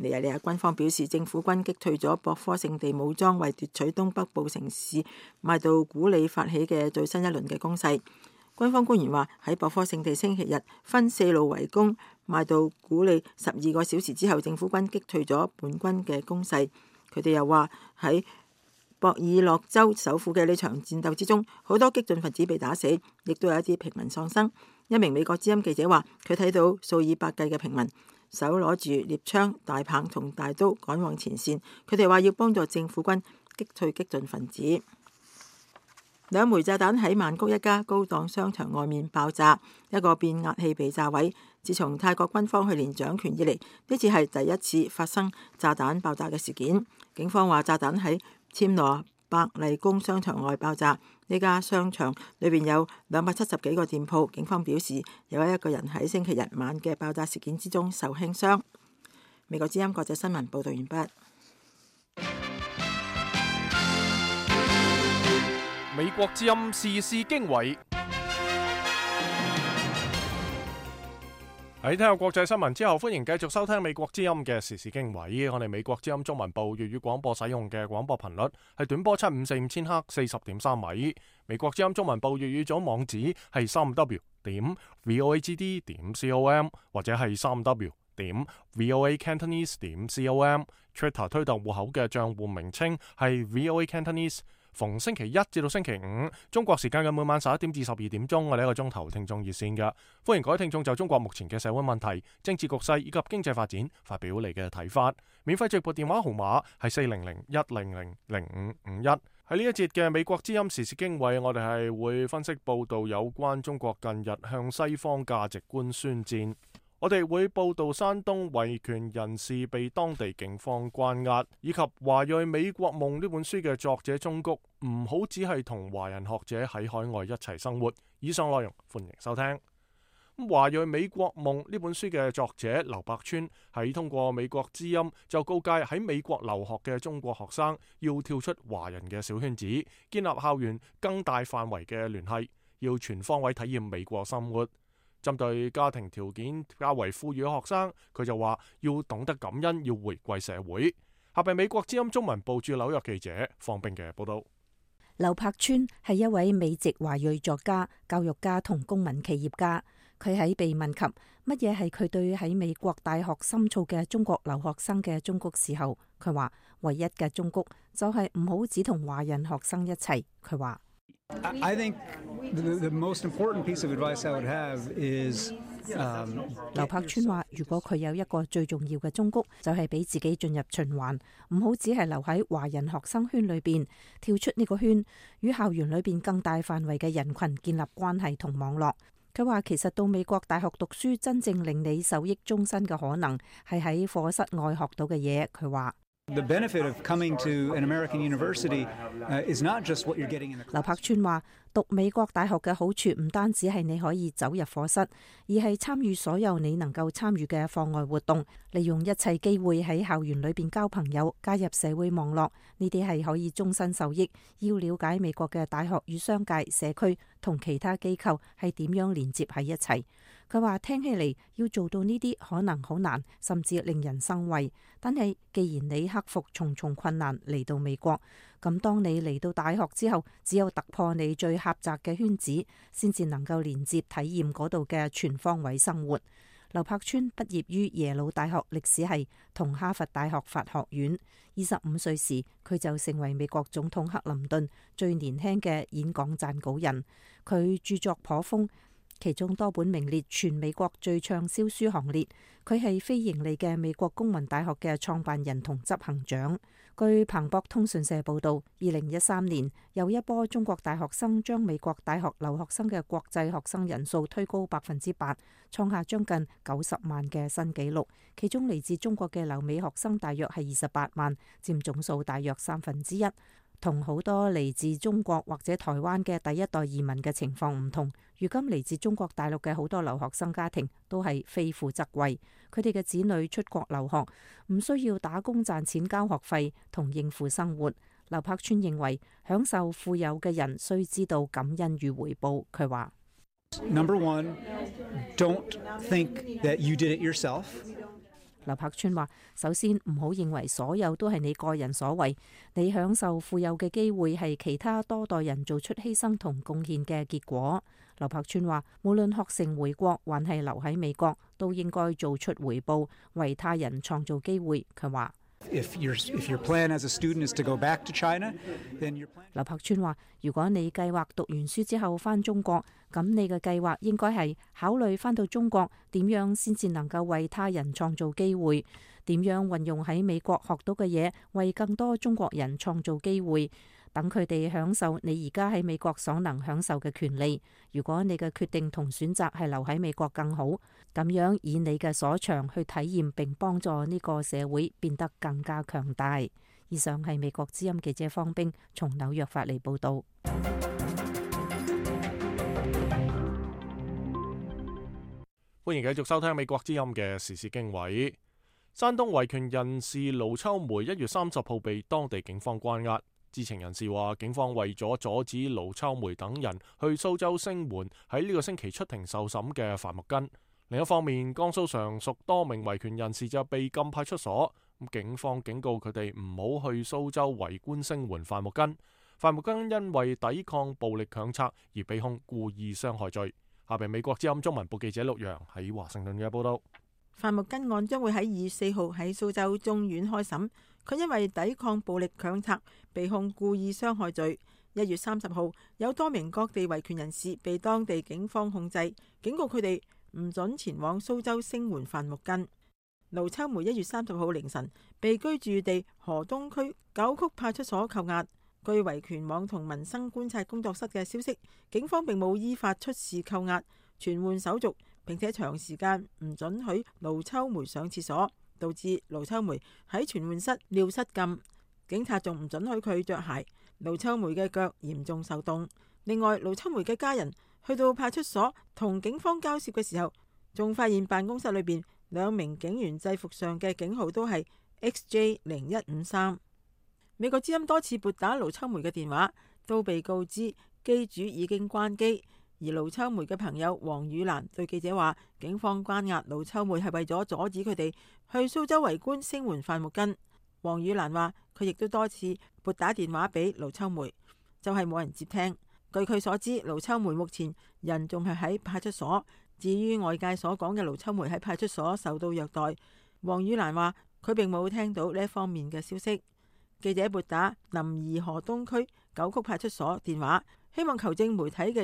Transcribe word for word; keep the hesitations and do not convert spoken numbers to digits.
尼日利亞軍方表示，政府軍擊退咗博科聖地武裝為奪取東北部城市邁杜古里發起嘅最新一輪嘅攻勢。軍方官員話，喺博科聖地星期日分四路圍攻邁杜古里十二個小時之後，政府軍擊退咗本軍嘅攻勢。佢哋又話喺博爾諾州首府嘅呢場戰鬥之中，好多激進分子被打死，亦都有一啲平民喪生。一名美國之音記者話，佢睇到數以百計嘅平民手攞住獵槍、大棒同大刀趕往前線。佢哋話要幫助政府軍擊退激進分子。兩枚炸彈喺曼谷一家高檔商場外面爆炸，一個變壓器被炸毀。自從泰國軍方去年掌權以嚟，呢次係第一次發生炸彈爆炸嘅事件。警方話炸彈喺暹羅百麗宮商場外爆炸，呢家商場裏邊有兩百七十幾個店鋪。警方表示有一個人喺星期日晚嘅爆炸事件之中受輕傷。美國之音國際新聞報道完畢。美國之音時事經緯。喺聽下國際新聞之後，歡迎繼續收聽美國之音嘅時事經緯。我哋美國之音中文部粵語廣播使用嘅廣播頻率係短波七五四五千赫四十點三米。美國之音中文部粵語組網址係三 w 點 voagd 點 com 或者係三 w 點 voacantonese 點 com。Twitter 推特戶口嘅賬戶名稱係 voacantonese。逢星期一至到星期五，中國時間嘅每晚十一點至十二點鐘，我哋一個鐘頭聽眾熱線嘅，歡迎各位聽眾就中國目前嘅社會問題、政治局勢以及經濟發展發表你嘅睇法。免費直撥電話號碼係四零零一零零零五五一。喺呢一節嘅美國之音時事經緯，我哋係會分析報道有關中國近日向西方價值觀宣戰。我哋會報道山東維權人士被當地警方關押，以及華裔美國夢呢本書嘅作者忠谷唔好只係同華人學者喺海外一齊生活。以上內容歡迎收聽。華裔美國夢呢本書嘅作者劉柏川喺通過美國之音就告誡喺美國留學嘅中國學生要跳出華人嘅小圈子，建立校園更大範圍嘅聯繫，要全方位體驗美國生活。針對家庭條件較為富裕嘅學生，佢就話要懂得感恩，要回歸社會。下邊美國之音中文部駐紐約記者方冰嘅報道。劉柏川係一位美籍華裔作家、教育家同公民企業家。佢喺被問及乜嘢係佢對喺美國大學深造嘅中國留學生嘅忠告時候，佢話唯一嘅忠告就係唔好只同華人學生一齊。佢話I think the, the most important piece of advice I would have is, um, 劉柏川話，如果佢有一個最重要嘅忠告，就係俾自己進入循環，唔好只係留喺華人學生圈裏邊，跳出呢個圈，與校園裏邊更大範圍嘅人群建立關係同網絡。佢話其實到美國大學讀書，真正令你受益終身嘅可能係喺課室外學到嘅嘢。佢話The benefit of coming to an American university is not just what you're getting in the class. 劉柏川話，讀美國大學嘅好處唔單止係你可以走入課室，而係參與所有你能夠參與嘅課外活動，利用一切機會喺校園裏邊交朋友，加入社會網絡，呢啲係可以終身受益。要了解美國嘅大學與商界、社區同其他機構係點樣連接喺一齊。佢話聽起嚟要做到呢啲可能好難，甚至令人生畏。但係既然你克服重重困難嚟到美國，咁當你嚟到大學之後，只有突破你最狹窄嘅圈子，先至能夠連接體驗嗰度嘅全方位生活。劉柏川畢業於耶魯大學歷史系同哈佛大學法學院。二十五歲時，佢就成為美國總統克林頓最年輕嘅演講撰稿人。佢著作頗豐，其中多本名列全美國最暢銷書行列。佢係非盈利嘅美國公民大學嘅創辦人同執行長。據彭博通訊社報道，二零一三年有一波中國大學生將美國大學留學生嘅國際學生人數推高百分之八，創下將近九十萬嘅新紀錄。其中嚟自中國嘅留美學生大約係二十八萬，佔總數大約三分之一。同好多嚟自中國或者台灣嘅第一代移民嘅情況唔同，如今嚟自中國大陸嘅好多留學生家庭都係非富則貴，佢哋嘅子女出國留學唔需要打工賺錢交學費同應付生活。劉柏川認為，享受富有嘅人須知道感恩與回報。佢話：Number one, don't think that you did it yourself. 劉柏村話：首先唔好認為所有都係你個人所為，你享受富有嘅機會係其他多代人做出犧牲同貢獻嘅結果。劉柏村話：無論學成回國還係留喺美國，都應該做出回報，為他人創造機會。佢話：If your if your plan as a student is to go back to China, then your plan. 劉柏村話：如果你計劃讀完書之後返中國，咁你嘅計劃應該係考慮返到中國點樣先至能夠為他人創造機會，點樣運用喺美國學到嘅嘢，為更多中國人創造機會，等佢哋享受你而家喺美國所能享受嘅權利。如果你嘅決定同選擇係留喺美國更好，咁樣以你嘅所長去體驗並幫助呢個社會變得更加強大。以上係美國之音記者方冰從紐約發嚟報道。歡迎繼續收聽美國之音嘅時事經緯。山東維權人士盧秋梅一月三十號被當地警方關押。知情人士話，警方為咗阻止盧秋梅等人去蘇州聲援喺呢個星期出庭受審嘅范木根。另一方面，江蘇常屬多名維權人士就被禁派出所。警方警告佢哋唔好去蘇州圍觀聲援范木根。范木根因為抵抗暴力強拆而被控故意傷害罪。下邊美國之音中文部記者陸陽喺華盛頓嘅報道。范木根案將會喺二月四號喺蘇州中院開審。佢因為抵抗暴力強拆被控故意傷害罪。一月三十號，有多名各地維權人士被當地警方控制，警告佢哋唔准前往蘇州聲援范木根。盧秋梅一月三十號凌晨被居住地河東區九曲派出所扣押。據維權網同民生觀察工作室嘅消息，警方並冇依法出示扣押、傳喚手續，並且長時間唔准許盧秋梅上廁所，導致盧秋梅喺傳喚室尿失禁。警察仲唔准許佢着鞋，盧秋梅嘅腳嚴重受凍。另外，盧秋梅嘅家人去到派出所同警方交涉嘅時候，仲發現辦公室裏邊兩名警員制服上嘅警號都係 X J 零一五三。美國之音多次撥打盧秋梅嘅電話，都被告知機主已經關機。而盧秋梅嘅朋友黃宇蘭對記者話，警方關押盧秋梅係為咗阻止佢哋去蘇州圍觀聲援范木根。黃宇蘭話，佢亦都多次撥打電話俾盧秋梅，就係冇人接聽。據佢所知，盧秋梅目前人仲係喺派出所。至於外界所講嘅盧秋梅喺派出所受到虐待，黃宇蘭話佢並冇聽到呢一方面嘅消息。記者撥打臨沂河東區九曲派出所電話，希望求證媒體嘅